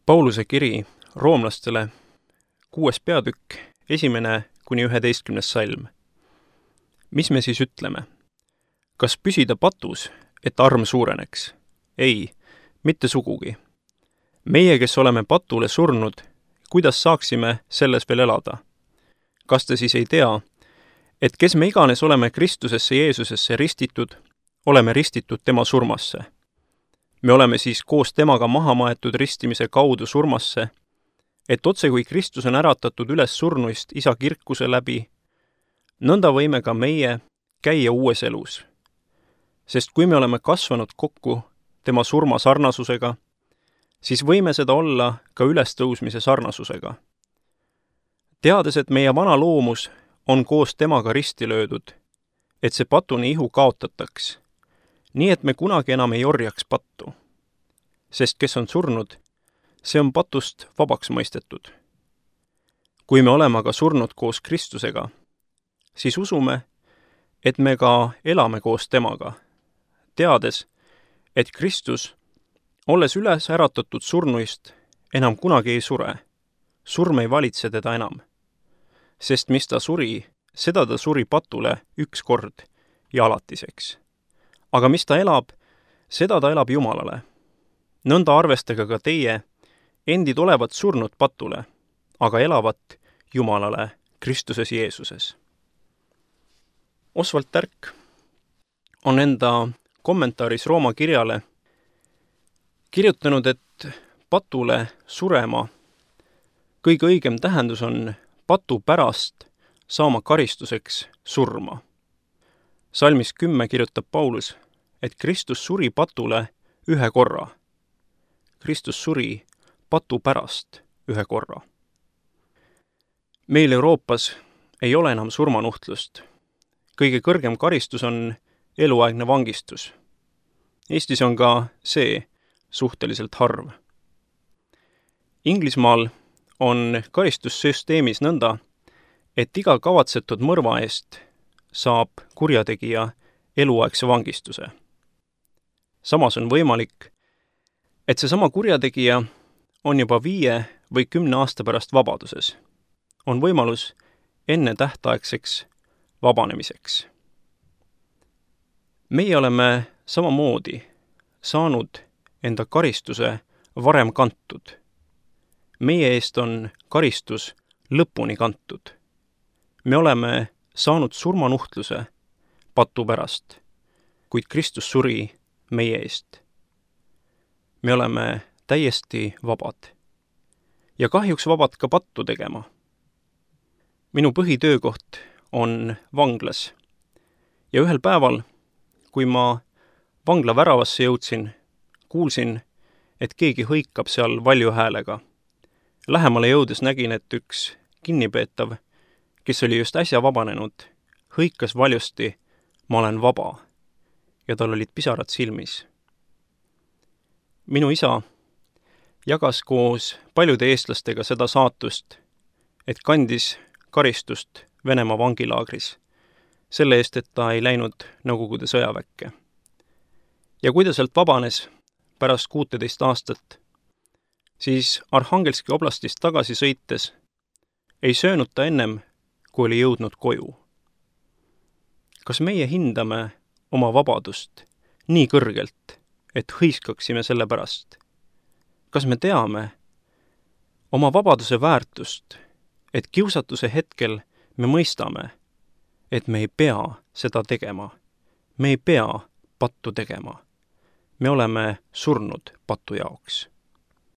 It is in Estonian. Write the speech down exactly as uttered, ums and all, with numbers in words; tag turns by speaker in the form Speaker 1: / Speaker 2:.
Speaker 1: Pauluse kiri roomlastele, kuues peatükk, esimene kuni üheteistkümnes salm. Mis me siis ütleme? Kas püsida patus, et arm suureneks? Ei, mitte sugugi. Meie, kes oleme patule surnud, kuidas saaksime selles veel elada? Kas te siis ei tea, et kes me iganes oleme Kristusesse Jeesusesse ristitud, oleme ristitud tema surmasse? Me oleme siis koos temaga maha maetud ristimise kaudu surmasse, et otse kui Kristus on äratatud üles surnuist isa kirkuse läbi, nõnda võime ka meie käia uues elus. Sest kui me oleme kasvanud kokku tema surma sarnasusega, siis võime seda olla ka ülestõusmise sarnasusega. Teades, et meie vana loomus on koos temaga risti löödud, et see patuni ihu kaotataks, nii et me kunagi enam ei orjaks pattu. Sest kes on surnud, see on patust vabaks mõistetud. Kui me oleme aga surnud koos Kristusega, siis usume, et me ka elame koos temaga, teades, et Kristus, olles üles äratatud surnuist, enam kunagi ei sure. Surm ei valitse teda enam. Sest mis ta suri, seda ta suri patule üks kord ja alatiseks. Aga mis ta elab, seda ta elab Jumalale. Nõnda arvestage ka teie, endid olevat surnud patule, aga elavat Jumalale Kristuses Jeesuses. Oswald Tärk on enda kommentaaris Rooma kirjale kirjutanud, et patule surema kõige õigem tähendus on patu pärast saama karistuseks surma. Salmis kümme kirjutab Paulus, et Kristus suri patule ühe korra. Kristus suri patu pärast ühe korra. Meil Euroopas ei ole enam surmanuhtlust. Kõige kõrgem karistus on eluaegne vangistus. Eestis on ka see suhteliselt harv. Inglismaal on karistussüsteemis nõnda, et iga kavatsetud mõrva eest saab kurjategija eluaegse vangistuse. Samas on võimalik, et seesama kurjategija on juba viie või kümne aasta pärast vabaduses. On võimalus enne tähtaegseks vabanemiseks. Meie oleme samamoodi saanud enda karistuse varem kantud. Meie eest on karistus lõpuni kantud. Me oleme saanud surmanuhtluse patu pärast, kuid Kristus suri meie eest. Me oleme täiesti vabad ja kahjuks vabad ka pattu tegema. Minu põhitöökoht on vanglas ja ühel päeval, kui ma vangla väravasse jõudsin, kuulsin, et keegi hõikab seal valju häälega. Lähemale jõudes nägin, et üks kinnipeetav, kes oli just äsja vabanenud, hõikas valjusti, ma olen vaba, ja tal olid pisarad silmis. Minu isa jagas koos paljude eestlastega seda saatust, et kandis karistust Venemaa vangilaagris, selle eest, et ta ei läinud Nõukogude sõjaväkke. Ja kui ta sealt vabanes pärast kuuteteist aastat, siis Arhangelski oblastist tagasi sõites ei söönud ta ennem, kui oli jõudnud koju. Kas meie hindame oma vabadust nii kõrgelt, et hõiskaksime selle pärast? Kas me teame oma vabaduse väärtust, et kiusatuse hetkel me mõistame, et me ei pea seda tegema, me ei pea pattu tegema. Me oleme surnud patu jaoks.